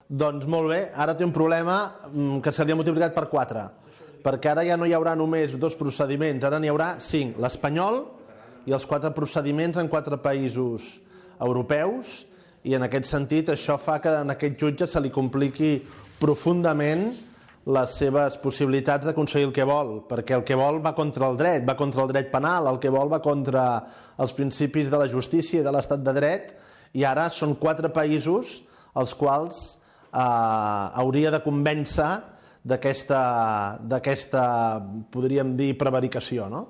Doncs molt bé, ara té un problema que se li ha multiplicat per 4, perquè ara ja no hi haurà només 2 procediments, ara n'hi haurà 5, l'espanyol i els 4 procediments en 4 països europeus, i en aquest sentit això fa que en aquest jutge se li compliqui profundament les seves possibilitats d'aconseguir el que vol, perquè el que vol va contra el dret penal, el que vol va contra els principis de la justícia i de l'estat de dret, i ara són 4 països els quals hauria de convèncer d'aquesta, podríem dir, prevaricació, no?